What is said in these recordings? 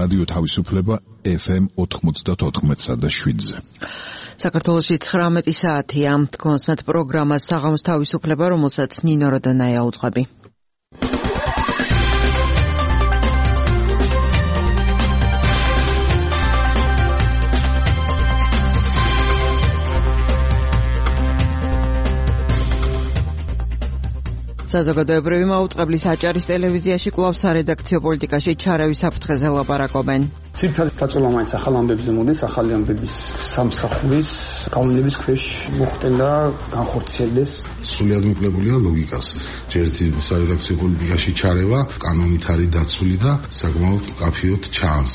რადიო თავისუფლება FM 94.7-ზე. საქართველოში 19 საათია. თქვენს პროგრამას საღამოს თავისუფლება, რომელსაც ნინო როდანაია უძღვები. საზოგადოებრივი მაუწყებლის აჭარის ტელევიზიაში კვლავ სარედაქციო პოლიტიკაში ჩარევის საფრთხეზე ლაპარაკობენ. ძირითადად დაწოლა მაინც ახალ ამბებზე მოდის, ახალი ამბების სამსახურის გავლენების ქვეშ მოხდენ და განხორციელდეს. სრულიად მოკლებულია ლოგიკას. ერთი სარედაქციო პოლიტიკაში ჩარევა კანონით არის დაცული და საკმაოდ კაფიოდ ჩანს.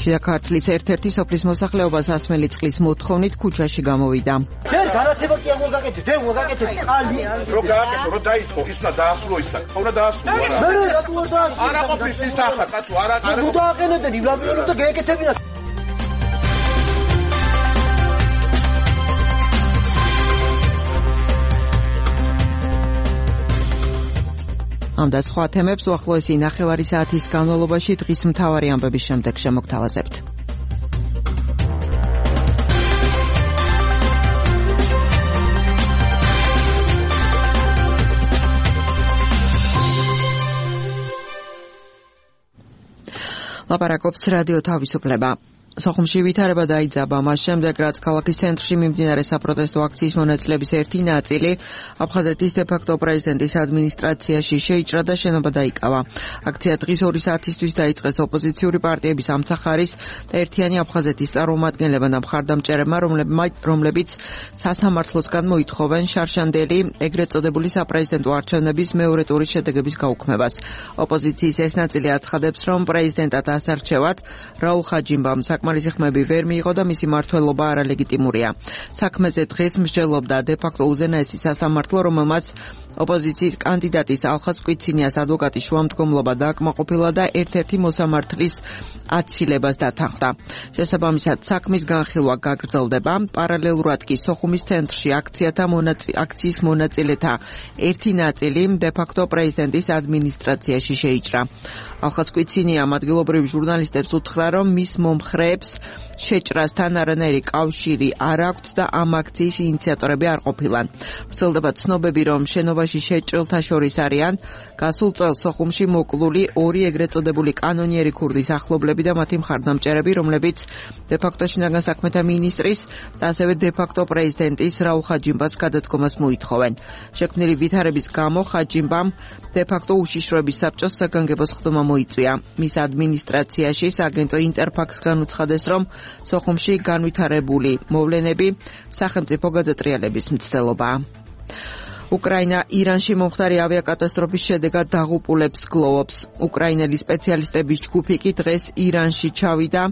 შიდა ქართლის ერთ-ერთი სოფლის მოსახლეობა სასმელი წყლის მოთხოვნით ქუჩაში გამოვიდა. ჯერ განათება კი აღარ გაკეთეთ, დე მოგაკეთეთ წყალი. რო გააკეთო, რო დაიწყო, ის უნდა დაასრულო ისა. უნდა დაასრულო. მე რატო არ დაასრულო? არა ყოფილი ის ახლა, კაცო, არა. ნუ დააყენებდები, ვლაბიოლოთ და გაეკეთებინათ. ამ და სხვა თემებს უახლოესი ნახევარი საათის განმავლობაში დღის მთავარი ამბების შემდეგ შემოგთავაზებთ. ლაპარაკობს რადიო თავისუფლება. სოხუმში ვითარება დაიძაბა მას შემდეგ, რაც ქალაქის ცენტრში მიმდინარე საპროტესტო აქციის მონაწილეების ერთი ნაწილი აფხაზეთის დე-ფაქტო პრეზიდენტის ადმინისტრაციაში შეიჭრა და შენობა დაიკავა. აქცია დღის 2 საათისთვის დაიწყეს ოპოზიციური პარტიების ამცახარის და ერთიანი აფხაზეთის წარმომადგენლებმა და მხარდამჭერებმა, რომლებიც სასამართლოსგან მოითხოვენ შარშანდელი ეგრეთ წოდებული საპრეზიდენტო არჩევნების მეორე ტურის შედეგების გაუქმებას. ოპოზიციის ეს ნაწილი აცხადებს, რომ პრეზიდენტად ასარჩევად რაულ ხაჯიმბამ საკმარისი ხმები ვერ მიიღო და მისი მმართველობა არალეგიტიმურია. საქმეზე დღეს მსჯელობდა დე-ფაქტო უზენაესი სასამართლო, რომელმაც ოპოზიციის კანდიდატის ალხას კვიცინიას ადვოკატის შუამდგომლობა დააკმაყოფილა და ერთ-ერთი მოსამართლის აცილებას დათანხმდა. შესაბამისად, საქმის განხილვა გაგრძელდება. პარალელურად კი სოხუმის ცენტრში აქციის მონაწილეთა ერთი ნაწილი დე-ფაქტო პრეზიდენტის ადმინისტრაციაში შეიჭრა. ალხას კვიცინიამ ადგილობრივ ჟურნალისტებს უთხრა, რომ მის მომხრეებს შეჭრასთან არანაირი კავშირი არ აქვთ და ამ აქციის ინიციატორები არ ყოფილან. ვრცელდება ცნობები, რომ შენობაში შეჭრილთა შორის არიან გასულ წელს სოხუმში მოკლული 2 ეგრეთ წოდებული კანონიერი ქურდის ახლობლები და მათი მხარდამჭერები, რომლებიც დე-ფაქტო შინაგან საქმეთა მინისტრის და ასევე დე-ფაქტო პრეზიდენტის რაულ ხაჯიმბას გადადგომას მოითხოვენ. შექმნილი ვითარების გამო ხაჯიმბამ დე-ფაქტო უშიშროების საბჭოს საგანგებო სხდომა მოიწვია. მის ადმინისტრაციაში სააგენტო ინტერფაქსგან უცხადეს, რომ სოხუმში განვითარებული მოვლენები სახელმწიფო გადატრიალების მცდელობაა. უკრაინა ირანში მომხდარი ავიაკატასტროფის შედეგად დაღუპულებს გლოვობს. უკრაინელი სპეციალისტების ჯგუფი კი დღეს ირანში ჩავიდა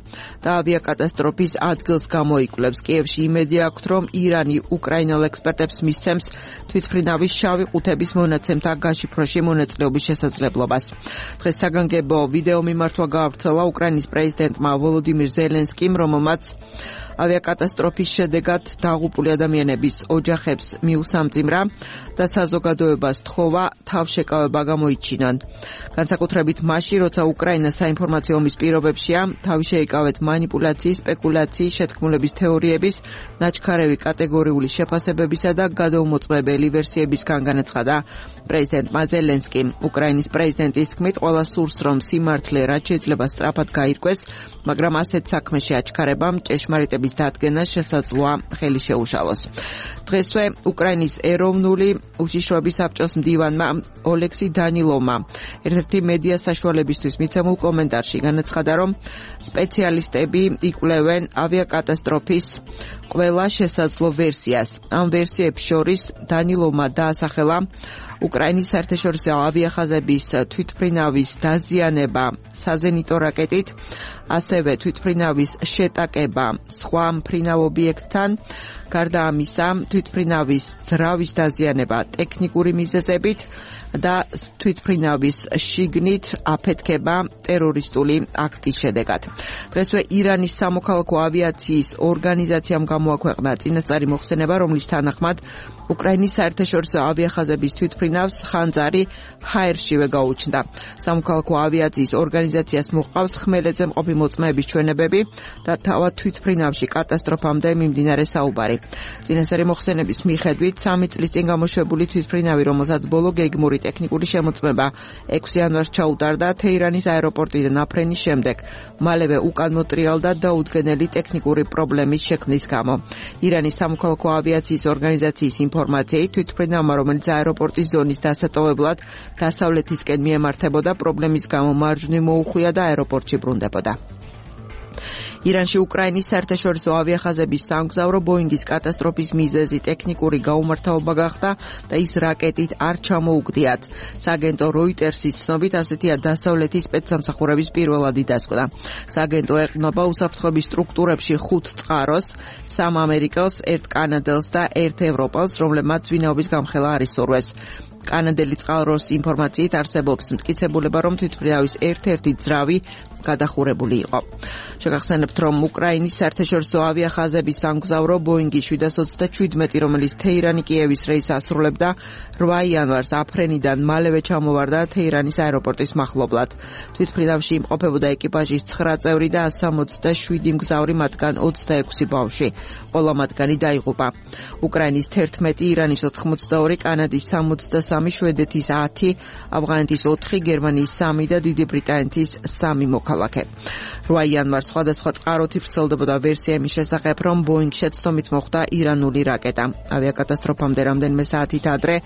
და ავიაკატასტროფის ადგილს გამოიკვლევს. კიევში იმედი აქვთ, რომ ირანი უკრაინელ ექსპერტებს მისცემს თვითმფრინავის შავი ყუთების მონაცემთა გაშიფროში მონაწილეობის შესაძლებლობას. დღეს საგანგებო ვიდეო მიმართვა გაავრცელა უკრაინის პრეზიდენტმა ვოლოდიმირ ზელენსკიმ, რომელმაც ავიაკატასტროფის შედეგად დაღუპული ადამიანების ოჯახებს მიუსამძიმრა და საზოგადოებას თხოვა თავშეკავება გამოიჩინონ. განსაკუთრებით მაშინ, როცა უკრაინა საინფორმაციო ომის პირობებშია, თავი შეიკავეთ მანიპულაციის, სპეკულაციის, შეთქმულების თეორიების, ნაჩქარევი კატეგორიული შეფასებებისა და გადაუმოწმებელი ვერსიებისგან განაცხადა პრეზიდენტმა ზელენსკიმ. უკრაინის პრეზიდენტის თქმით, ყველა სურს, რომ სიმართლე რაც შეიძლება სწრაფად გაირკვეს, მაგრამ ასეთ საქმეში აჩქარებამ ჭეშმარიტების დადგენა შესაძლოა ხელი შეუშალოს. დღესვე უკრაინის ეროვნული უშიშროების საბჭოს მდივანმა ოლექსი დანილოვმა ერთ-ერთი მედია საშუალებისთვის მიცემულ კომენტარში განაცხადა, რომ სპეციალისტები იკვლევენ ავიაკატასტროფის ყველა შესაძლო ვერსიას. ამ ვერსიებს შორის დანილოვმა დაასახელა უკრაინის საერთაშორისო ავიახაზების თვითმფრინავის დაზიანება საზენიტო რაკეტით, ასევე თვითმფრინავის შეტაკება სხვა მფრინავ ობიექტთან, გარდა ამისა, თვითმფრინავის ძრავის დაზიანება ტექნიკური მიზეზებით და თვითმფრინავის შიგნით აფეთქება ტერორისტული აქტის შედეგად. დღესვე ირანის სამოქალაქო ავიაციის ორგანიზაციამ გამოაქვეყნა წინასწარი მოხსენება, რომლის თანახმად უკრაინის საერთაშორისო ავიახაზების თვითმფრინავს ხანძარი ჰაერშივე გაუჩნდა. სამოქალაქო ავიაციის ორგანიზაციას მოჰყავს ხმელეთზე მყოფი მოწმეების ჩვენებები და თავად თვითმფრინავში კატასტროფამდე მიმდინარე საუბარი. წინასწარი მოხსენების მიხედვით 3 წლის წინ გამოშვებული თვითმფრინავი, რომელსაც ბოლო გეგმური ტექნიკური შემოწმება 6 იანვარს ჩაუტარდა თეირანის აეროპორტიდან აფრენის შემდეგ, მალევე უკან მოტრიალდა დაუდგენელი ტექნიკური პრობლემის შექმნის გამო. ირანის სამოქალაქო ავიაციის ორგანიზაციის ინფორმაციით, თვითმფრინავმა, რომელიც აეროპორტის ზონის დასატოვებლად დასავლეთისკენ მიემართებოდა, პრობლემის გამო მარჯვნივ მოუხვია და აეროპორტში ბრუნდებოდა. ირანში უკრაინის საერთაშორისო ავიახაზების სამგზავრო ბოინგის კატასტროფის მიზეზი ტექნიკური გაუმართავობა გახდა და ის რაკეტით არ ჩამოუგდიათ. სააგენტო როიტერსის ცნობით, ასეთია დასავლეთის სპეცსამსახურების პირველადი დასკვნა. სააგენტო ეყრდნობა უსაფრთხოების სტრუქტურებში 5 წყაროს, 3 ამერიკელს, 1 კანადელს და 1 ევროპელს, რომლებმაც ვინაობის გამხელა არ ისურვეს. კანადელი წყაროს ინფორმაციით არსებობს მტკიცებულება, რომ თვითმფრინავის ერთ-ერთი ძრავი გადახურებული იყო. შეგახსენებთ, რომ უკრაინის საერთაშორისო ავიახაზების სამგზავრო ბოინგი 727, რომელიც თეირანი კიევის რეისს ასრულებდა, 8 იანვარს აფრენიდან მალევე ჩამოვარდა თეირანის აეროპორტის მახლობლად. თვითმფრინავში იმყოფებოდა ეკიპაჟის 9 წევრი და 167 მგზავრი, მათგან 26 ბავშვი. ყველა მათგანი დაიღუპა. უკრაინის 11, ირანის 82, კანადის 63, შვედეთის 10, ავღანეთის 4, გერმანიის 3 და დიდი ბრიტანეთის 3 მოქალაქე. 8 იანვარს სხვადასხვა წყაროთი ვრცელდებოდა ვერსია იმის შესახებ, რომ ბოინგ შეცდომით მოხვდა ირანული რაკეტა. ავიაკატასტროფამდე რამდენიმე საათით ადრე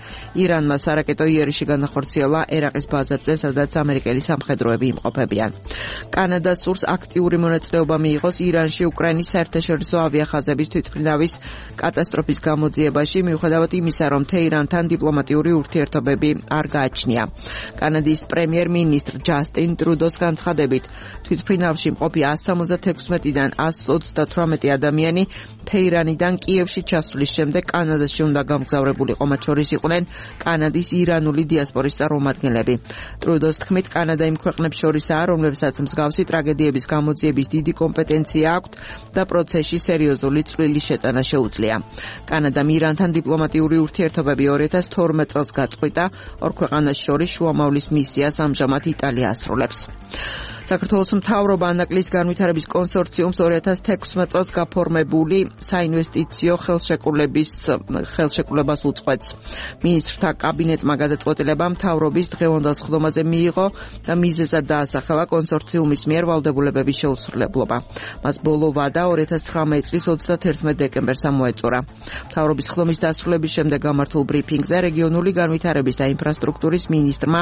ირანმა სარაკეტო იერიში განახორციელა ერაყის ბაზებზე, სადაც ამერიკელი სამხედროები იმყოფებიან. კანადა სურს აქტიური მონაწილეობა მიიღოს ირანში უკრაინის საერთაშორისო ავიახაზების თვითმფრინავის კატასტროფის გამოძიებაში, მიუხედავად იმისა, რომ თეირანთან დიპლომატიური ურთიერთობები არ გააჩნია. კანადის პრემიერ-მინისტრ ჯასტინ ტრუდოს განცხადებით, თვითმფრინავში მყოფი 176-დან 138 ადამიანი თეირანიდან კიევში ჩასვლის შემდეგ კანადაში უნდა გამგზავრებულიყო, მათ შორის იყვნენ კანადის ირანული დიასპორის წარმომადგენლები. ტრუდოს თქმით, კანადა იმ ქვეყნებს შორისაა, რომლებსაც მსგავსი ტრაგედიების გამოძიების დიდი კომპეტენცია აქვთ და პროცესში სერიოზული წვლილი შეტანა შეუძლია. კანადამ ირანთან დიპლომატიური ურთიერთობები 2012 წელს გაწყვიტა, ორ ქვეყანას შორის შუამავლის მისიას ამჟამად იტალია ასრულებს. საქართველოს მთავრობა ანაკლის განვითარების კონსორციუმს 2016 წელს გაფორმებული საინვესტიციო ხელშეკრულებას უწყვეტს. მინისტრთა კაბინეტმა გადაწყვეტილება მთავრობის დღევანდელ სხდომაზე მიიღო და მიზეზად დაასახელა კონსორციუმის მიერ ვალდებულებების შეუსრულებლობა. მას ბოლო ვადა 2019 წლის 31 დეკემბერს ამოეწურა. მთავრობის სხდომის დასრულების შემდეგ გამართულ ბრიფინგზე რეგიონული განვითარების და ინფრასტრუქტურის მინისტრმა,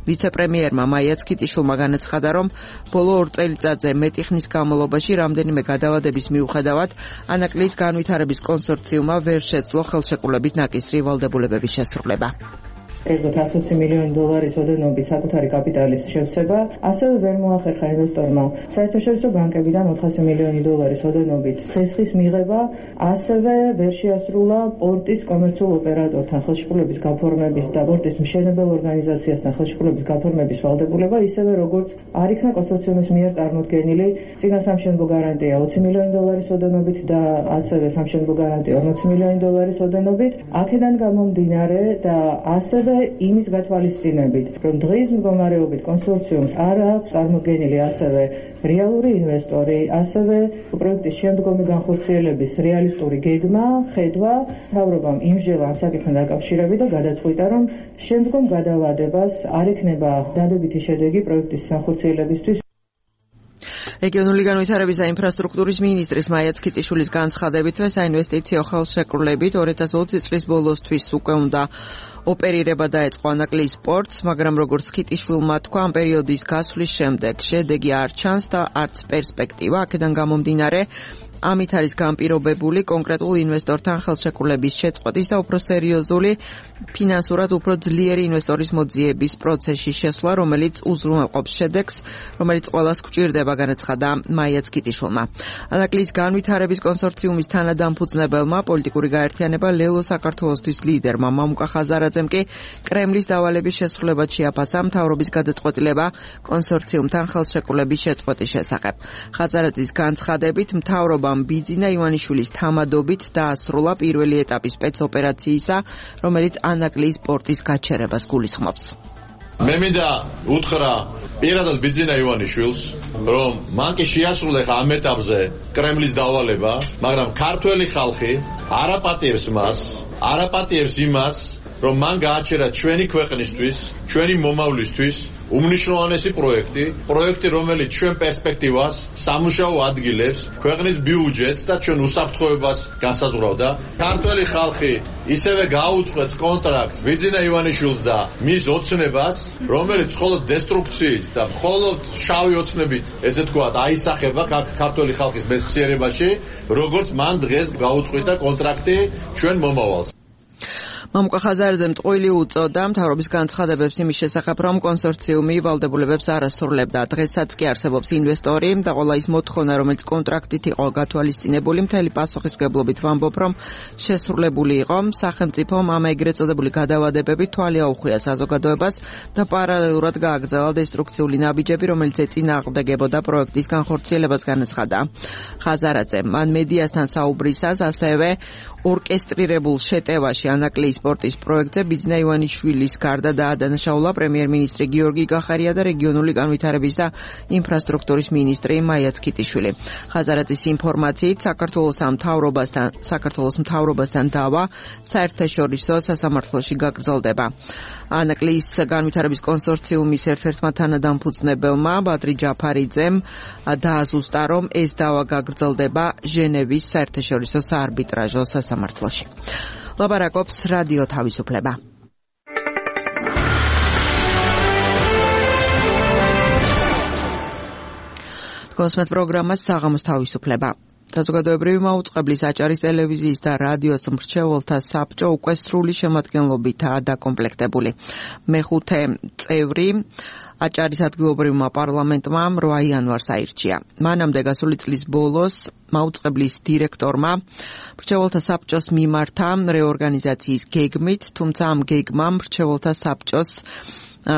ვიცე-პრემიერმა მაია ცქიტიშვილმა განაცხადა, რომ ბოლო 2 წელიწადზე მეტი ხნის განმავლობაში რამდენიმე გადავადების მიუხედავად ანაკლის განვითარების კონსორციუმმა ვერ შეძლო ხელშეკრულებით ნაკისრი ვალდებულებების შესრულება. კერძოდ 120 მილიონი დოლარის ოდენობით საკუთარი კაპიტალის შევსება, ასევე ვერ მოახერხა ინვესტორმა საერთაშორისო ბანკებიდან 400 მილიონი დოლარის ოდენობით ცესხის მიღება, ასევე ვერ შეასრულა პორტის კომერციულ ოპერატორთან ხელშეკრულების გაფორმების და პორტის მშენებელ ორგანიზაციასთან ხელშეკრულების გაფორმების ვალდებულება, ისევე როგორც არ იქნა კონსორციუმის მიერ წარმოდგენილი წინა სამშენებლო გარანტია 20 მილიონი დოლარის ოდენობით და ასევე სამშენებლო გარანტია 40 მილიონი დოლარის ოდენობით. აქედან გამომდინარე და ასევე იმის გათვალისწინებით, რომ დღის მდგომარეობით კონსორციუმს არ აქვს წარმოდგენილი ასევე რეალური ინვესტორი, ასევე პროექტის შემდგომი განხორციელების რეალისტური გეგმა, ხედვა, მთავრობამ იმჟელა ამ საკითხთან დაკავშირებით და გადაწყვიტა, რომ შემდგომ გადავადებას არ ექნება დადებითი შედეგი პროექტის განხორციელებისთვის. რეგიონული განვითარების და ინფრასტრუქტურის მინისტრის მაია ცქიტიშვილის განცხადებით, საინვესტიციო ხელშეკრულებით 2020 წლის ბოლოსთვის უკვე უნდა ოპერირება დაეწყო ანაკლის სპორტს, მაგრამ როგორც ცქიტიშვილმა თქვა, ამ პერიოდის გასვლის შემდეგ შედეგი არ ჩანს და არც პერსპექტივა. აქედან გამომდინარე, ამით არის განპირობებული კონკრეტულ ინვესტორთან ხელშეკრულების შეწყვეტის და უფრო სერიოზული ფინანსურად უფრო ძლიერი ინვესტორის მოძიების პროცესში შესვლა, რომელიც უზრუნველყოფს შედეგს, რომელიც ყველას გვჭირდება, განაცხადა მაია ცქიტიშვილმა. ანაკლის განვითარების კონსორციუმის თანადამფუძნებელმა პოლიტიკური გაერთიანება ლელო საქართველოსთვის ლიდერმა მამუკა ხაზარაძემ კი კრემლის დავალების შესრულებად შეაფასა მთავრობის გადაწყვეტილება კონსორციუმთან ხელშეკრულების შეწყვეტის შესახებ. ხაზარაძის განცხადებით მთავრობამ ბიძინა ივანიშვილის თამადობით დაასრულა პირველი ეტაპის სპეცოპერაციისა, რომელიც ანაკლის პორტის გაჩერებას გულისხმობს. მე მინდა უთხრა პირადად ბიძინა ივანიშვილს, რომ მან კი შეასრულა ამ ეტაპზე კრემლის დავალება, მაგრამ ქართველი ხალხი არაპატიებს მას, არაპატიებს იმას, რომ მან გააჩერა ჩვენი ქვეყნისთვის, ჩვენი მომავლისთვის უმნიშვნელოვანესი პროექტი, რომელიც ჩვენ პერსპექტივას, სამუშაო ადგილებს, ქვეყნის ბიუჯეტს და ჩვენ უსაფრთხოებას განსაზღვრავდა. ქართველი ხალხი ისევე გაუწყვეტს კონტრაქტს ბიძინა ივანიშვილს და მის ოცნებას, რომელიც მხოლოდ დესტრუქციით და მხოლოდ შავი ოცნებით, ესე თქვათ, აისახება ქართველი ხალხის მეხსიერებაში, როგორც მან დღეს გაუწყვეტა კონტრაქტი ჩვენ მომავალს. მამუკა ხაზარაძემ ტყუილი უწოდა მთავრობის განცხადებებს იმის შესახებ, რომ კონსორციუმი ვალდებულებებს არ ასრულებდა. დღესაც კი არსებობს ინვესტორი და ყველა ის მოთხოვნა, რომელიც კონტრაქტით იყო გათვალისწინებული, მთელი პასუხისმგებლობით ვამბობ, რომ შესრულებული იყო. სახელმწიფომ ამ ეგრეთ წოდებული გადავადებები თვალი აუხვია საზოგადოებას და პარალელურად გააგრძელა დესტრუქციული ნაბიჯები, რომელიც ეწინააღმდეგებოდა პროექტის განხორციელებას, განაცხადა ხაზარაძემ. მან მედიასთან საუბრისას ასევე ორკესტრირებულ შეტევაში ანაკლის სპორტის პროექტზე ბიძინა ივანიშვილის გარდა დაადანაშაულა პრემიერ-მინისტრი გიორგი გახარია და რეგიონული განვითარების და ინფრასტრუქტურის მინისტრი მაია ცქიტიშვილი. ხაზარაძის ინფორმაციით საქართველოს მთავრობასთან დავა საერთაშორისო სასამართლოში გაგრძელდება. ანაკლის განვითარების კონსორციუმის ერთ-ერთმა თანადამფუძნებელმა ბადრი ჯაფარიძემ დააზუსტა, რომ ეს დავა გაგრძელდება ჟენევის საერთაშორისო საარბიტრაჟო სასამართლოში. ლაპარაკობს რადიო თავისუფლება. გოსმეთ პროგრამას საღამოს თავისუფლება. საზოგადოებრივი მაუწყებლის აჭარის ტელევიზიის და რადიოს მრჩეველთა საბჭო უკვე სრული შემადგენლობითაა დაკომპლექტებული. მეხუთე წევრი აჭარის ადგილობრივმა პარლამენტმა 8 იანვარს აირჩია. მანამდე გასული წლის ბოლოს მაუწყებლის დირექტორმა მრჩეველთა საბჭოს მიმართა რეორგანიზაციის გეგმით, თუმცა ამ გეგმამ მრჩეველთა საბჭოს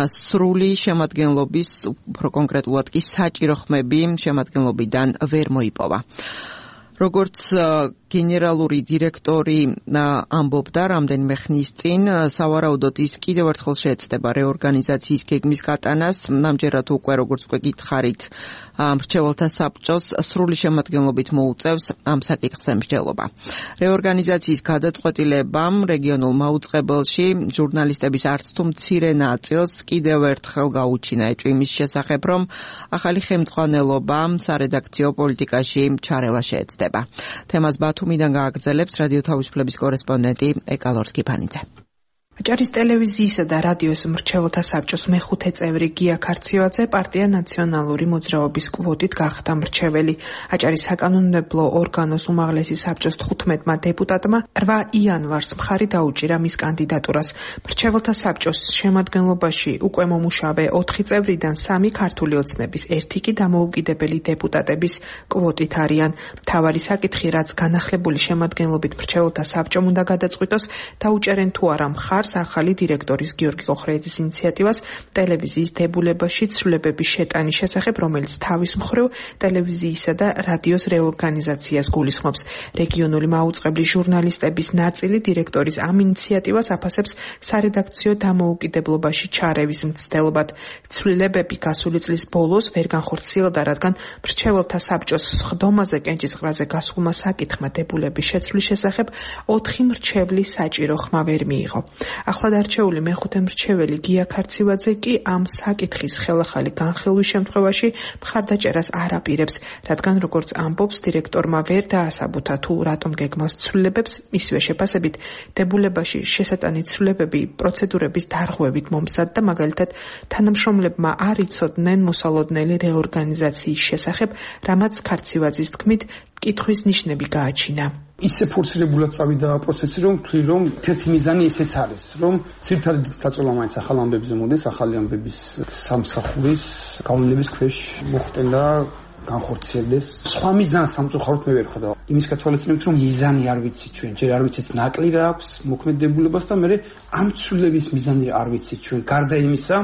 სრული შემადგენლობის, უფრო კონკრეტულად კი საჭირო ხმები შემადგენლობიდან ვერ მოიპოვა. როგორც გენერალური დირექტორი ამბობდა რამდენიმე ხნის წინ, სავარაუდოდ ის კიდევ ერთხელ შეეცდება რეორგანიზაციის გეგმის გატანას, ამჯერად უკვე როგორც გითხარით, მრჩეველთა საბჭოს სრული შემადგენლობით მოუწევს ამ საკითხზე მსჯელობა. რეორგანიზაციის გადაწყვეტილებამ რეგიონულ მაუწყებელში ჟურნალისტების არც თუ მცირე ნაწილს კიდევ ერთხელ გაუჩინა ეჭვი იმის შესახებ, რომ ახალი ხელმძღვანელობა სარედაქციო პოლიტიკაში ჩარევა შეეცდება. თემას ბათუმიდან გააგრძელებს რადიო თავისუფლების კორესპონდენტი ეკალორ კიფანიძე. აჭარის ტელევიზიისა და რადიოს მრჩეველთა საბჭოს მეხუთე წევრი გია ქარციოაძე პარტია ნაციონალური მოძრაობის კვოტით გახდა მრჩეველი. აჭარის საკანონმდებლო ორგანოს უმაღლესი საბჭოს 15-მა დეპუტატმა 8 იანვარს მხარი დაუჭირა მის კანდიდატურას. მრჩეველთა საბჭოს შემადგენლობაში უკვე მომუშავე 4 წევრიდან 3 ქართული ოცნების, 1 კი დამოუკიდებელი დეპუტატების კვოტით არიან. მთავარი საკითხი, რაც განახლებული შემადგენლობით მრჩეველთა საბჭომ უნდა გადაწყვიტოს, დაუჭერენ თუ არა მხარს ახალი დირექტორის გიორგი ყოხრეიძის ინიციატივას ტელევიზიის დებულებაში ცვლილებების შეტანის შესახებ, რომელიც თავის მხრივ ტელევიზიისა და რადიოს რეორგანიზაციას გულისხმობს. რეგიონული მაუწყებლის ჟურნალისტების ნაწილი დირექტორის ამ ინიციატივას აფასებს სარედაქციო დამოუკიდებლობაში ჩარევის მცდელობად. ცვლილებები გასული წლის ბოლოს ვერ განხორციელდა, რადგან მრჩეველთა საბჭოს სხდომაზე კენჭისყრაზე გასულმა საკითხმა დებულების შეცვლის შესახებ 4 მრჩევლის საჭირო ხმა ვერ მიიღო. ახლად არჩეული მეხუთე მრჩეველი გია ქარცივაძე კი ამ საკითხის ხელახალი განხილვის შემთხვევაში მხარდაჭერას არ აპირებს, რადგან როგორც ამბობს, დირექტორმა ვერ დაასაბუთა თუ რატომ გეგმავს ცვლილებებს, მისივე შეფასებით დებულებაში შესატანი ცვლილებები პროცედურების დარღვევით მომზადდა, მაგალითად თანამშრომლებმა არ იცოდნენ მოსალოდნელი რეორგანიზაციის შესახებ, რამაც ქარცივაძის თქმით კითხვის ნიშნები გააჩინა. ისე ფორსირებულად წავიდა პროცესი, რომ ვთვლი, რომ ერთი მიზანი ესეც არის, რომ ძირითადად დაწოლა მაინც ახალ ამბებზე მოდის, ახალი ამბების სამსახურის გავლენების ქვეშ მოხდენა განხორციელდეს. სხვა მიზანს სამწუხაროდ მე ვერ ხედავ. იმის გათვალისწინებით, რომ მიზანი არ ვიცით ჩვენ, ჯერ არ ვიცით ნაკლი რა აქვს მოქმედებულებას და მე ამ ცვლილების მიზანი არ ვიცით ჩვენ. გარდა იმისა,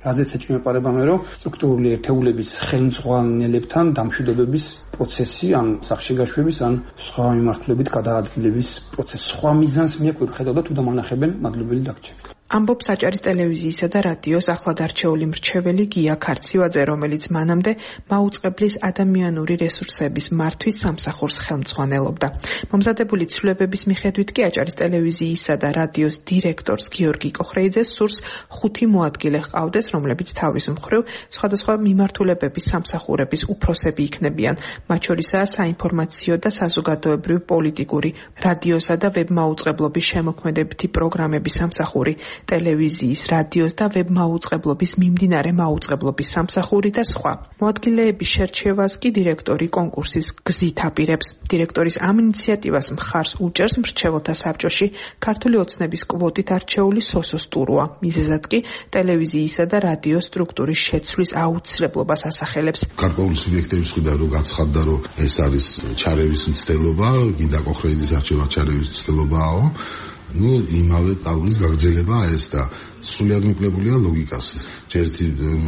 რაზეც ეჭვმეპარება მე, რომ სტრუქტურული ერთეულების ხელმძღვანელებთან დამშვიდობების პროცესი, ან სახში გაშვების, ან სხვა მიმართულებით გადაადგილების პროცესი. სხვა მიზანს მე ვერ ხედავ და თუ დამანახებენ, მადლობელი დაგჭირდა. ამბობს საჭარის ტელევიზიისა და რადიოს ახლად არჩეული მრჩეველი გია ქარცივაძე, რომელიც მანამდე მაუწყებლის ადამიანური რესურსების მართვის სამსახურს ხელმძღვანელობდა. მომზადებული ცვლილებების მიხედვით კი აჭარის ტელევიზიისა და რადიოს დირექტორს გიორგი კოხრეიძეს სურს 5 მოადგილე ჰყავდეს, რომლებიც თავის მხრივ სხვადასხვა მიმართულებების სამსახურების უფროსები იქნებიან. მათ შორისაა საინფორმაციო და საზოგადოებრივი პოლიტიკური, რადიოსა და ვებმაუწყებლობის შემოქმედებითი პროგრამების სამსახური, ტელევიზიის, რადიოს და ვებმაუწყებლობის მიმდინარე მაუწყებლობის სამსახური და სხვა. მოადგილეების შერჩევას კი დირექტორი კონკურსის გზით აპირებს. დირექტორის ამ ინიციატივას მხარს უჭერს მრჩეველთა საბჭოში ქართული ოცნების კვოტით არჩეული სოსო სტურუა. მიზეზად კი ტელევიზიისა და რადიოს სტრუქტურის შეცვლის აუცილებლობას ასახელებს. გარკვეული სუბიექტების მხრიდან რომ გაცხადდა, რომ ეს არის ჩარევის მცდელობა, გინდა კოხრეიძის არჩევა ჩარევის მცდელობაო. იმავე ტალღის გაგრძელებაა ეს და სრულად მოკლებულია ლოგიკაზე. ერთი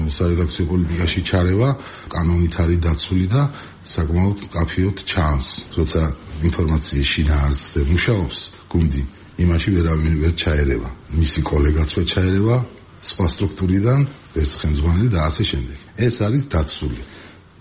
სარედაქციო პოლიტიკაში ჩარევა კანონით არის დაცული და საკმაოდ კაფიოდ ჩანს, როცა ინფორმაციის შინაარსზე მუშაობს გუნდი, იმაში ვერავინ ვერ ჩაერევა. მისი კოლეგაც ვერ ჩაერევა სხვა სტრუქტურიდან, ვერც ხელმძღვანელი და ასე შემდეგ. ეს არის დაცული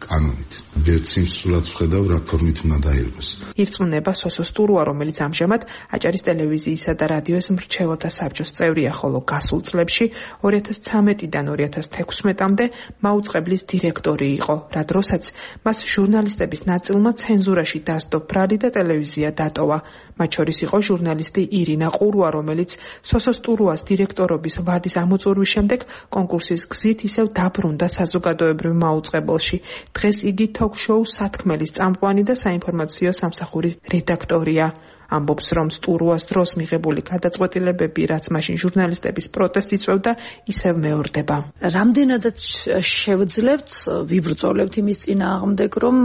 კანონით. ვერც იმ სურათს ვხედავ, რა ფორმით უნდა დაირღვეს. ირწმუნება სოსო სტურუა, რომელიც ამჟამად აჭარის ტელევიზიისა და რადიოს მრჩეველთა საბჭოს წევრია, ხოლო გასულ წლებში 2013-დან 2016-მდე მაუწყებლის დირექტორი იყო, რა დროსაც მას ჟურნალისტების ნაწილმა ცენზურაში დასდო ბრალი და ტელევიზია დატოვა. მათ შორის იყო ჟურნალისტი ირინა ყურვა, რომელიც სოსო სტურუას დირექტორობის ვადის ამოწურვის შემდეგ კონკურსის გზით ისევ დაბრუნდა საზოგადოებრივ მაუწყებელში. დღეს იგი თოქ-შოუ სათქმელის წამყვანი და საინფორმაციო სამსახურის რედაქტორია. ამბობს, რომ სტურუას დროს მიღებული გადაწყვეტილებები, რაც მაშინ ჟურნალისტების პროტესტს იწვევდა, ისევ მეორდება. რამდენადაც შევძლებთ, ვიბრძოლებთ იმის წინააღმდეგ, რომ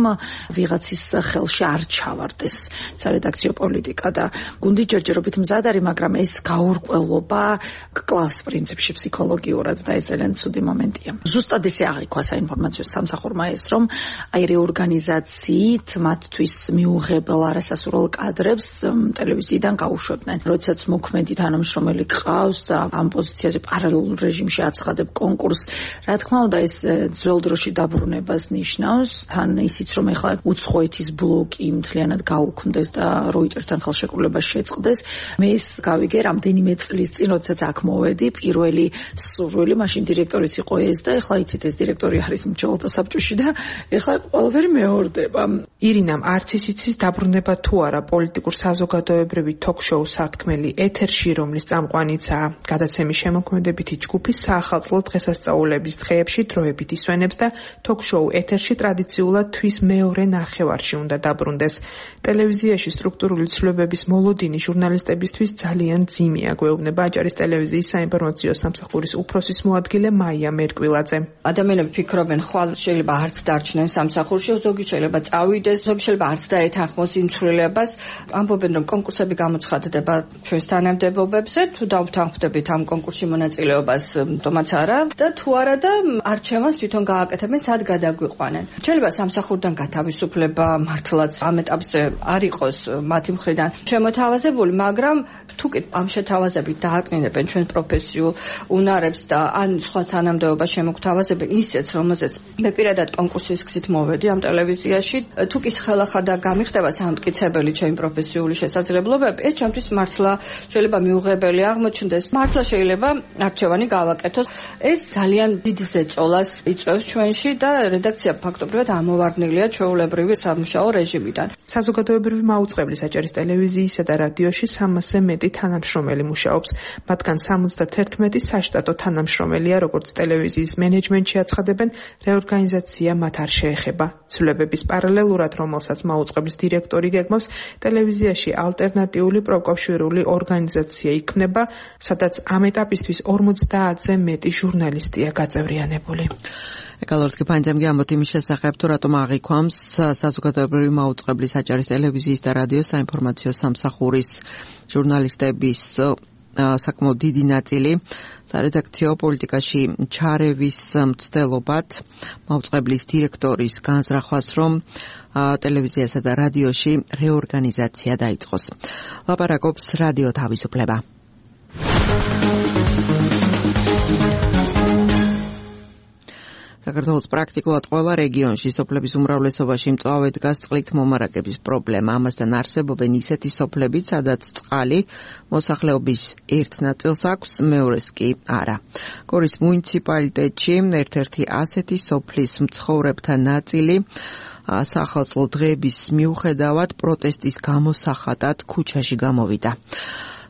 ვიღაცის ხელში არ ჩავარდეს სარედაქციო პოლიტიკა და გუნდი ჯერჯერობით მზად არის, მაგრამ ეს გაურკვევლობა კლავს პრინციპში ფსიქოლოგიურად და ეს ძალიან ცუდი მომენტია. ზუსტად ესე აღიქვა საინფორმაციო სამსახურმა ეს, რომ აი რეორგანიზაციით მათთვის მიუღებელ არასასურველ კადრებს ტელევიზიიდან გაუშვებდნენ. როდესაც მოქმედი თანამშრომელი ყავს და ამ პოზიციაზე პარალელურ რეჟიმში აცხადებ კონკურსს, რა თქმა უნდა ეს ძველ დროში დაბრუნებას ნიშნავს. თან ისიც რომ ეხლა უცხოეთის ბლოკი მთლიანად გაუქმდეს და როიტერთან ხელშეკრულება შეწყდეს. მე ეს გავიგე რამდენიმე წლის წინ, როდესაც აქ მოვედი, პირველი სურვილი მაშინ დირექტორის იყო ეს და ეხლა იცით ეს დირექტორი არის მრჩეველთა საბჭოში და ეხლა ყველაფერი მეორდება. ირინამ არც ისიც დაბრუნება თუ არა პოლიტიკურ საზოგადოებრივი თოქ-შოუ სათქმელი ეთერში, რომლის წამყვანიცაა გადაცემის შემოქმედებითი ჯგუფი საახალწლო დღესასწაულების დღეებში დროებით ისვენებს და თოქ-შოუ ეთერში ტრადიციულად თვის მეორე ნახევარში უნდა დაბრუნდეს. ტელევიზიაში სტრუქტურული ცვლილებების მოლოდინი ჟურნალისტებისთვის ძალიან ძიმია, გვეუბნება აჭარის ტელევიზიის საინფორმაციო სამსახურის უფროსის მოადგილე მაია მერკვილაძე. ადამიანები ფიქრობენ, ხვალ შეიძლება არც დარჩნენ სამსახურში, ზოგი შეიძლება წავიდეს, ზოგი შეიძლება არც დაეთანხმოს იმ ცვლილებას. ამბობენ, რომ კონკურსები გამოცხადდება ჩვენს თანამდებობებზე, თუ დავთანხმდებით ამ კონკურსში მონაწილეობას, თომაც არა და თუ არა და არჩევანს თვითონ გააკეთებენ, სად გადაგვიყვანენ. შეიძლება სამსახურიდან გათავისუფლება მართლაც ამ ეტაპზე არ იყოს მათი მხრიდან შემოთავაზებული, მაგრამ თუ კი ამ შეთავაზებით დააკნინებენ ჩვენ პროფესიულ უნარებს და ან სხვა თანამდებობას შემოგთავაზებენ ისეც, რომელზეც მე პირადად კონკურსის გზით მოვედი ამ ტელევიზიაში, თუ კი ხელახლა და გამიხდება სამტკიცებელი ჩემი პროფესიული შესაძლებლობები, ეს ჩემთვის მართლა შეიძლება მიუღებელი აღმოჩნდეს. მართლა შეიძლება არჩევანი გავაკეთოს. ეს ძალიან დიდ ზეწოლას იწვევს ჩვენში და რედაქცია ფაქტობრივად ამოვარდნილია ჩვეულებრივი სამუშაო რეჟიმიდან. საზოგადოებრივი მაუწყებლის აჭარის ტელევიზიისა და რადიოში 300-ზე მეტი თანამშრომელი მუშაობს. მათგან 71 საშტატო თანამშრომელია, როგორც ტელევიზიის მენეჯმენტში აცხადებენ, რეორგანიზაცია მათ არ შეეხება. ცვლილებების პარალელურად, რომელსაც მაუწყებლის დირექტორი გეგმავს, ტელევიზიაში ალტერნატიული პროკავშირული ორგანიზაცია იქმნება, სადაც ამ ეტაპისთვის 50-ზე მეტი ჟურნალისტია გაწევრიანებული. ეკალორდ კიფანძემ ამბობთ იმის შესახებ, თუ რატომ აღიქვამს საზოგადოებრივი მაუწყებლის აჭარის ტელევიზიის და რადიოს საინფორმაციო სამსახურის ჟურნალისტების საკმაოდ დიდი ნაწილი სარედაქციო პოლიტიკაში ჩარევის მცდელობად მაუწყებლის დირექტორის განზრახვას, რომ ტელევიზიასა და რადიოში რეორგანიზაცია დაიწყოს. ლაპარაკობს რადიო თავისუფლება. საქართველოს პრაქტიკულად ყველა რეგიონში სოფლების უმრავლესობაში მწვავე დგას წყლით მომარაგების პრობლემა. ამასთან არსებობენ ისეთი სოფლები, სადაც წყალი მოსახლეობის ერთ ნაწილს აქვს, მეორეს კი არა. გორის მუნიციპალიტეტში ერთ-ერთი ასეთი სოფლის მცხოვრებთა ნაწილი სახალხო დღეების მიუხედავად პროტესტის გამოსახატად ქუჩაში გამოვიდა.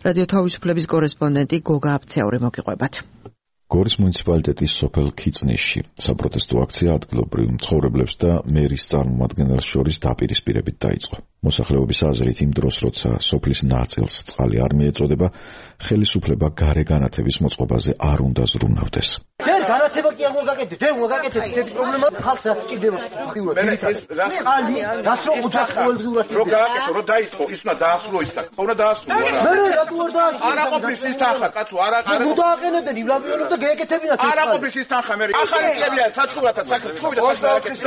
რადიო თავისუფლების კორესპონდენტი გოგა აფცეური მოგიყვებათ. გორის მუნიციპალიტეტის სოფელ ქიწნისში საპროტესტო აქცია ადგილობრივ მცხოვრებლებს და მერის წარმომადგენელს შორის დაპირისპირებით დაიწყო. მოსახლეობის აზრით, იმ დროს, როცა სოფლის ნაწილს წყალი არ მიეწოდება, ხელისუფლება გარე განათების მოწყობაზე არ უნდა ზრუნავდეს. ჯერ განათება კი არ მოგაკეთეთ, ჯერ მოგაკეთეთ ეს პრობლემა ხალხს რა სჭირდება. წყალი, რაც რო ოჯახს ყოველდღიურად რო გააკეთო, რო დაიწყო, ის უნდა დაასრულო ის საქმე. უნდა დაასრულო. მე რატო არ დაასრულე? არა ყოფნის ის თანხა, კაცო, არა. ნუ დააყენებდნენ, იბლაბიონებდა გეეკეთებინათ. არა ყოფნის ის თანხა, მე. ახალი წლებია საჩუვრათა საქმე, თქოვიდა საქმე.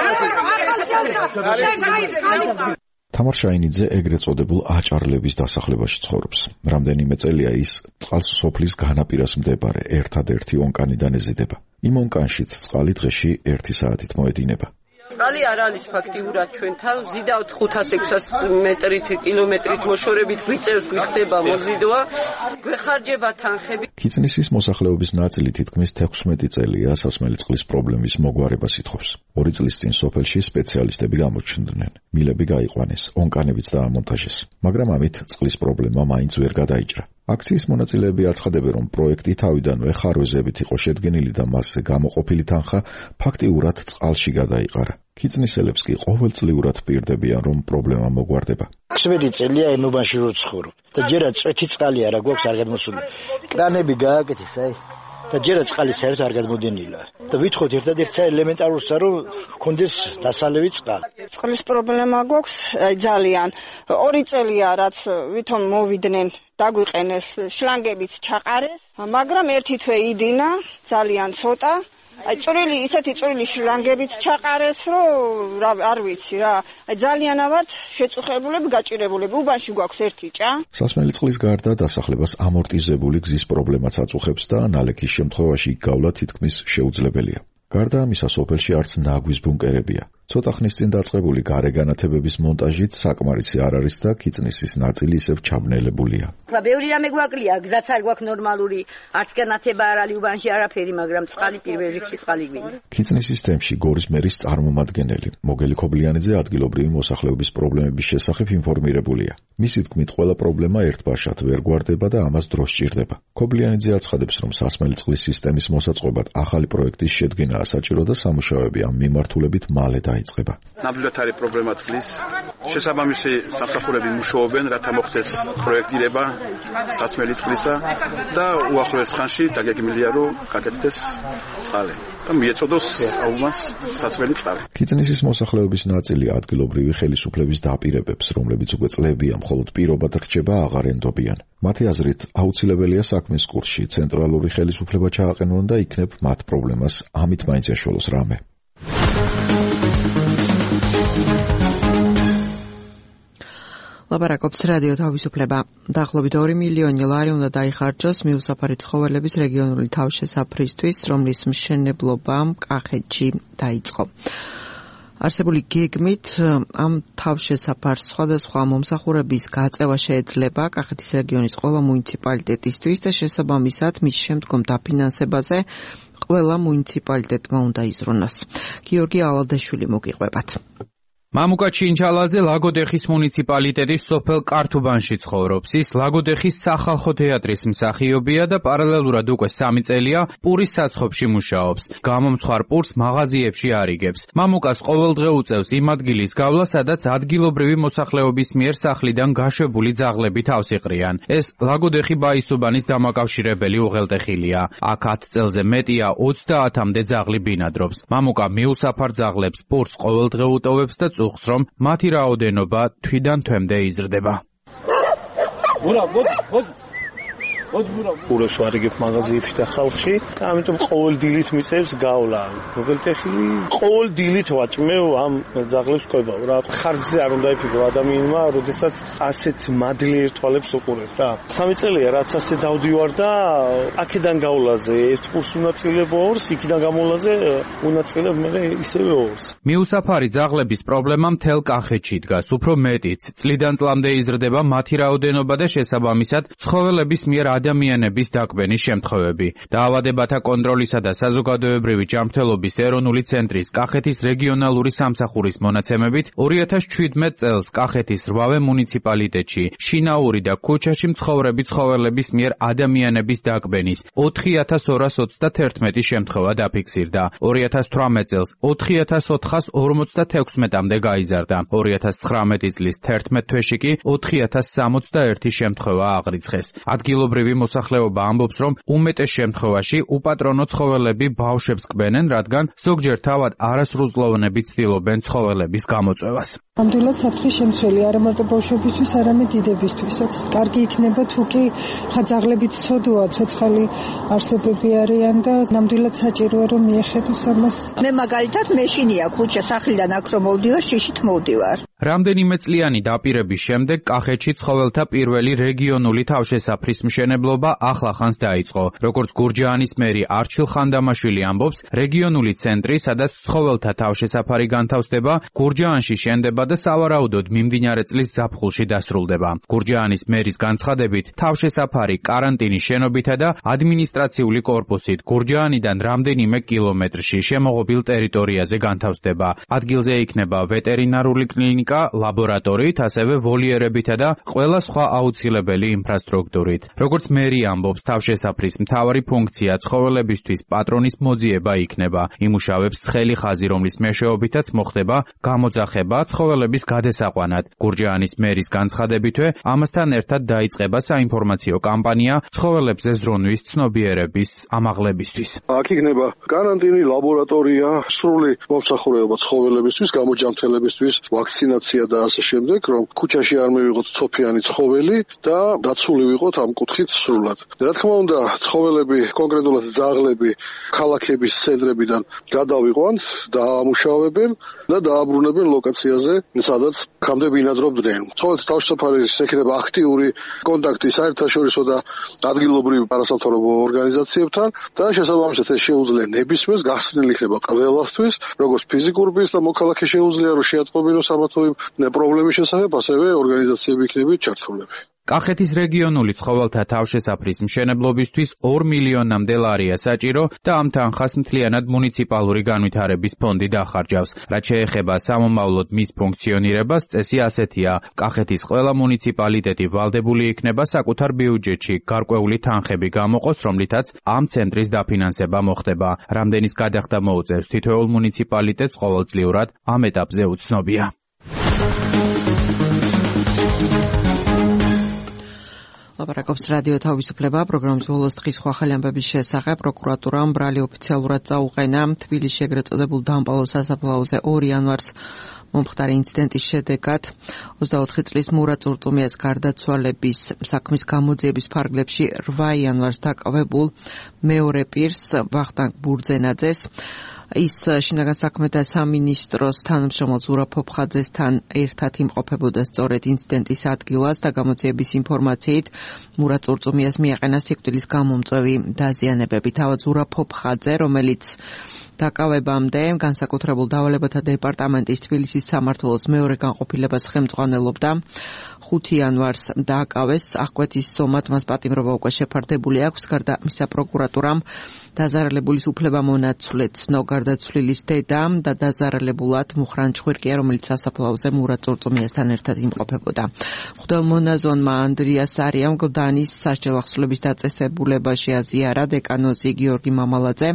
თამარ შაინიძე ეგრეთ წოდებულ აჭარლების დასახლებაში ცხოვრობს. რამდენიმე წელია ის წყალს სოფლის განაპირას მდებარე ერთადერთი ონკანიდან ეზიდება. იმ ონკანშიც წყალი დღეში 1 საათით მოედინება. წყალი არ არის ფაქტიურად ჩვენთან, ზიდავთ 500-600 მეტრით, კილომეტრით მოშორებით გვიწევს, გვიხდება მოზიდვა, გვეხარჯება თანხები. ქიწნისის მოსახლეობის ნაწილი თითქმის 16 წელია სასმელი წყლის პრობლემის მოგვარებას ითხოვს. 2 წლის წინ სოფელში სპეციალისტები გამოჩნდნენ. მილები გაიყვანეს, ონკანებიც დაამონტაჟეს, მაგრამ ამით წყლის პრობლემა მაინც ვერ გადაიჭრა. აქციის მონაწილეები აცხადებენ, რომ პროექტი თავიდანვე ხარვეზებით იყო შედგენილი და მასზე გამოყოფილი თანხა ფაქტიურად წყალში გადაიყარა. ქიწნისელებს კი ყოველწლიურად პირდებიან, რომ პრობლემა მოგვარდება. 16 წელია ენობაში რო ცხოვრობ და ჯერაც წვეთი წყალი არა გვაქვს არ გადმოსული. კრანები გააკეთეს, აი და ჯერაც წყალი საერთოდ არ გადმოდენილა. და ვითხოვთ ერთადერთი ელემენტარულსა, რომ გქონდეს დასალევი წყალი. წყლის პრობლემა გვაქვს, აი ძალიან. 2 წელია რაც ვითომ მოვიდნენ დაგვიყენეს შლანგებით ჩაყარეს, მაგრამ ერთი თვე იდინა, ძალიან ცოტა. აი წვრილი, ისეთი წვრილი შლანგებით ჩაყარეს, რომ არ ვიცი რა. აი ძალიანა ვართ შეწუხებულები, გაჭირებულები. უბანში გვაქვს ერთი ჭა. სასმელი წყლის გარდა დასახლებას ამორტიზებული გზის პრობლემაც აწუხებს და ნალექის შემთხვევაში იქ გავლა თითქმის შეუძლებელია. გარდა ამისა, სოფელში არც ნაგვის ბუნკერებია. ცოტა ხნის წინ დაწყებული გარე განათებების მონტაჟით საკმარისი არ არის და ქიწნისის ნაწილი ისევ ჩაბნელებულია. ბევრი რამე გვაკლია, გზაც არ გვაქვს ნორმალური, არც განათება არ არის უბანში არაფერი, მაგრამ წყალი პირველ რიგში წყალი გვინდა. ქიწნისის თემში გორის მერის წარმომადგენელი მოგელი ქობლიანიძე ადგილობრივი მოსახლეობის პრობლემების შესახებ ინფორმირებულია. მისი თქმით, ყველა პრობლემა ერთბაშად ვერ გვარდება და ამას დრო სჭირდება. ქობლიანიძე აცხადებს, რომ სასმელი წყლის სისტემის მოსაწყობად ახალი პროექტის შედგენაა საჭირო და სამუშაოები ამ მიმართულებით მალე დაიწყება. ნამდვილად არის პრობლემა წყლის. შესაბამისი სამსახურები მუშაობენ, რათა მოხდეს პროექტირება სასმელი წყლისა და უახლოეს ხანში დაგეგმილია, რომ გაკეთდეს წყალი და მიეწოდოს აუმას სასმელი წყალი. ქიწნისის მოსახლეობის ნაწილი ადგილობრივი ხელისუფლების დაპირებებს, რომლებიც უკვე წლებია მხოლოდ პირობად რჩება, აღარ ენდობიან. მათი აზრით, აუცილებელია საქმის კურსში ცენტრალური ხელისუფლება ჩააყენონ და იქნებ მათ პრობლემას ამით მაინც ეშველოს რამე. ლაპარაკობს რადიო თავისუფლება. დაახლოებით 2 მილიონი ლარი უნდა დაიხარჯოს მიუსაფარი ცხოველების რეგიონული თავშესაფრისთვის, რომლის მშენებლობა კახეთში დაიწყო. არსებული გეგმით ამ თავშესაფარს სხვადასხვა მომსახურების გაწევა შეეძლება კახეთის რეგიონის ყველა მუნიციპალიტეტისთვის და შესაბამისად მის შემდგომ დაფინანსებაზე ყველა მუნიციპალიტეტმა უნდა იზრუნოს. გიორგი ალადაშვილი მოგიყვებათ. მამუკა ჩინჩალაძე ლაგოდეხის მუნიციპალიტეტის სოფელ კართუბანში ცხოვრობს. ის ლაგოდეხის სახალხო თეატრის მსახიობია და პარალელურად უკვე 3 წელია პურის საცხობში მუშაობს. გამომცხარ პურს მაღაზიებში არიგებს. მამუკას ყოველდღე უწევს იმ ადგილის გავლა, სადაც ადგილობრივი მოსახლეობის მიერ სახლიდან გაშვებული ძაღლები თავს იყრიან. ეს ლაგოდეხი ბაისუბანის დამაკავშირებელი უღელტეხილია. აქ 10 წელზე მეტია 30-მდე ძაღლი ბინადრობს. მამუკა მიუსაფარ ძაღლებს პურს ყოველდღე უტოვებს და უხს რომ მათი რაოდენობა თვიდან თვემდე იზრდება. პურებს ვარიგებ მაღაზიებში და ხალხში და ამიტომ ყოველ დილით მიწევს გავლა. უღელტეხილი ყოველ დილით ვაჭმევ ამ ძაღლებს ყვებავ რა. ხარჯზე არ უნდა იფიქრო ადამიანმა, როდესაც ასეთ მადლიერ თვალებს უყურებ რა. 3 წელია რაც ასე დავდივარ და აქედან გავლაზე ერთ პურს უნაწილებო ორს, იქიდან გამოლაზე უნაწილებ მე ისევე ორს. მიუსაფარი ძაღლების პრობლემა მთელ კახეთში დგას, უფრო მეტიც. წლიდან წლამდე იზრდება მათი რაოდენობა და შესაბამისად ცხოველების მიერ ადამიანების დაკვენის შემთხვევები. დაავადებათა კონტროლისა და საზოგადოებრივი ჯანმრთელობის ეროვნული ცენტრის კახეთის რეგიონალური სამსახურის მონაცემებით 2017 წელს კახეთის 8 მუნიციპალიტეტში შინაური და ქუჩაში მცხოვრები ცხოველების მიერ ადამიანების დაკვენის 4231 შემთხვევა დაფიქსირდა. 2018 წელს 4456-მდე გაიზარდა. 2019 წლის 11 თვეში კი 4061 შემთხვევა აღრიცხეს. ადგილობრივი მოსახლეობა ამბობს, რომ უმეტეს შემთხვევაში უპატრონო ცხოველები ბავშვებს კვენენ, რადგან ზოგჯერ თავად არასრულწლოვანები ცდილობენ ცხოველების გამოწვევას. ნამდვილად საფრთხის შემცველი არა მარტო ბავშვებისთვის, არამედ დიდებისთვისაც. კარგი იქნება თუ კი ძაღლებით ცოდოა, ცოცხალი არსებები არიან და ნამდვილად საჭიროა რომ მიეხედოს ამას. მე მაგალითად მეშინია ქუჩა სახლიდან აქ რომ მოვდივარ, შიშით მოვდივარ. რამდენიმე წლიანი დაპირების შემდეგ კახეთში ცხოველთა პირველი რეგიონული თავშესაფრის მშენებლობა ახლახანს დაიწყო. როგორც გურჯაანის მერი არჩილ ხანდამაშვილი ამბობს, რეგიონული ცენტრი, სადაც ცხოველთა თავშესაფარი განთავსდება, გურჯაანში შენდება და სავარაუდოდ მიმდინარე წლის ზაფხულში დასრულდება. გურჯაანის მერის განცხადებით, თავშესაფარი კარანტინის შენობითა და ადმინისტრაციული კორპუსით გურჯაანიდან რამდენიმე კილომეტრში შემოღობილ ტერიტორიაზე განთავსდება. ადგილზე იქნება ვეტერინარული კლინიკა, ლაბორატორიით, ასევე ვოლიერებითა და ყველა სხვა აუცილებელი ინფრასტრუქტურით. როგორც მერი ამბობს, თავშესაფრის მთავარი ფუნქცია ცხოველებისთვის პატრონის მოძიება იქნება. იმუშავებს ცხელი ხაზი, რომლის მეშვეობითაც მოხდება გამოძახება ცხოველების გადასაყვანად. გურჯაანის მერის განცხადებითვე, ამასთან ერთად დაიწყება საინფორმაციო კამპანია ცხოველებზე ზრუნვის ცნობიერების ამაღლებისთვის. აქ იქნება კარანტინი, ლაბორატორია, სრული მომსახურება ცხოველებისთვის, გამოჯანმრთელებისთვის, ვაქცინაცია და ასე შემდეგ, რომ ქუჩაში არ მივიღოთ ცოფიანი ცხოველი და დაცული ვიყოთ ამ კუთხით სრულად. რა თქმა უნდა, ცხოველები, კონკრეტულად ძაღლები ქალაქების ცენტრებიდან გადავიყვანთ, დაამუშავებენ და დააბრუნებენ ლოკაციაზე, სადაც ხამდე ბინადრობდნენ. ცხოველთა თავშესაფარის ექნება აქტიური კონტაქტი საერთაშორისო და ადგილობრივ არასამთავრობო ორგანიზაციებთან და შესაბამისად ეს შეუძლია ნებისმიერს გახსნილი იქნება ყველასთვის, როგორც ფიზიკურების და მოქალაქე შეუძლია რომ შეატყობინოს ამა თუ იმ პრობლემის შესახებ, ასევე ორგანიზაციები იქნება ჩართულები. კახეთის რეგიონული ცხოველთა თავშესაფრის მშენებლობისთვის 2 მილიონამდე ლარია საჭირო და ამ თანხას მთლიანად მუნიციპალური განვითარების ფონდი დახარჯავს. რაც შეეხება სამომავლოდ მის ფუნქციონირებას, წესი ასეთია: კახეთის ყველა მუნიციპალიტეტი ვალდებული იქნება საკუთარ ბიუჯეტში გარკვეული თანხები გამოყოს, რომლითაც ამ ცენტრის დაფინანსება მოხდება. რამდენის გადახდა მოუწევს თითოეულ მუნიციპალიტეტს ყოველწლიურად ამ ეტაპზე უცნობია. ლაპარაკობს რადიო თავისუფლება პროგრამის ბოლოს დღის სხვა ახალი ამბების შესახებ. პროკურატურამ ბრალი ოფიციალურად წაუყენა თბილისში ეგრეთ წოდებულ დამპალო სასაფლაოზე 2 იანვარს მომხდარი ინციდენტის შედეგად 24 წლის მურა წურწუმიას გარდაცვალების საქმის გამოძიების ფარგლებში 8 იანვარს დაკავებულ მეორე პირს ვახტანგ ბურძენაძეს ის შინაგან საქმეთა სამინისტროს თანამშრომელ ზურაბ ფოფხაძესთან ერთად იმყოფებოდა სწორედ ინციდენტის ადგილას და გამოძიების ინფორმაციით მურა წურწუმიას მიაყენა სიკვდილის გამომწვევი დაზიანებები. თავად ზურაბ ფოფხაძე, რომელიც დაკავებამდე განსაკუთრებულ დავალებათა დეპარტამენტის თბილისის სამმართველოს მეორე განყოფილებას ხელმძღვანელობდა 5 იანვარს დააკავეს აღკვეთის სომად მას პატიმრობა უკვე შეფარდებული აქვს გარდა მისა პროკურატურამ დაზარალებულის უფლებამონაცვლე ცნო გარდაცვლილის დედა და დაზარალებულად მუხრან ჭვირკია რომელიც სასაფლაოზე მურად წორწომიასთან ერთად იმყოფებოდა მღვდელმონაზონმა ანდრიას არიამ გლდანის სასჯელ ახსნილების დაწესებულებაში აზიარა დეკანოზი გიორგი მამალაძე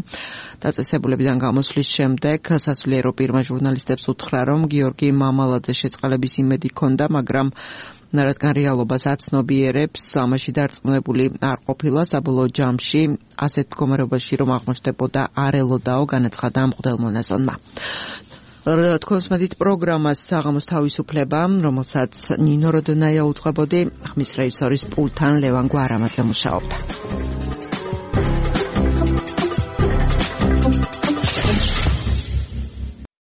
დაწესებულებიდან გამოსვლის შემდეგ სასულიერო პირმა ჟურნალისტებს უთხრა რომ გიორგი მამალაძე შეწყალების იმედი ჰქონდა მაგრამ რადგან რეალობას აცნობიერებს ამაში დარწმუნებული არ ყოფილა საბოლოო ჯამში ასეთ მდგომარეობაში რომ აღმოჩნდებოდა არ ელოდაო განაცხადა მღვდელმონაზონმა თქვენს მედით პროგრამას საღამოს თავისუფლება რომელსაც ნინო როდნაია უძღვებოდი ხმის რეჟისორის პულთან ლევან გვარამაძე მუშაობდა